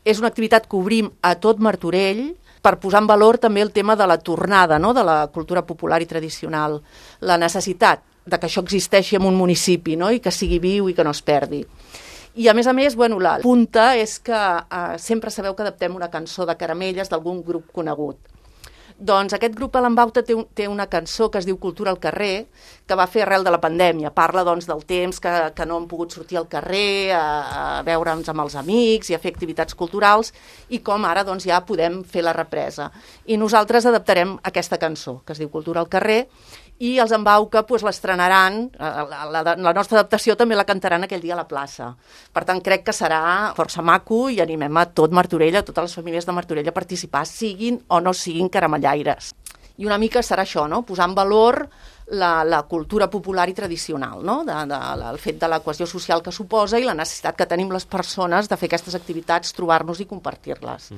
És una activitat que obrim a tot Martorell per posar en valor també el tema de la tornada, no?, de la cultura popular i tradicional, la necessitat de que això existeixi en un municipi, no?, i que sigui viu i que no es perdi. I a més, la punta és que sempre sabeu que adaptem una cançó de Caramelles d'algun grup conegut. Doncs aquest grup a l'Embauta té una cançó que es diu Cultura al carrer, que va fer arrel de la pandèmia. Parla doncs, del temps que no hem pogut sortir al carrer a veure'ns amb els amics i a fer activitats culturals i com ara doncs, ja podem fer la represa. I nosaltres adaptarem aquesta cançó, que es diu Cultura al carrer, i els Embauca pues, l'estrenaran, la nostra adaptació també la cantaran aquell dia a la plaça. Per tant, crec que serà força maco i animem a tot Martorell, a totes les famílies de Martorell a participar, siguin o no siguin caramellaires. I una mica serà això, no?, posar en valor la cultura popular i tradicional, no?, el fet de la cohesió social que suposa i la necessitat que tenim les persones de fer aquestes activitats, trobar-nos i compartir-les.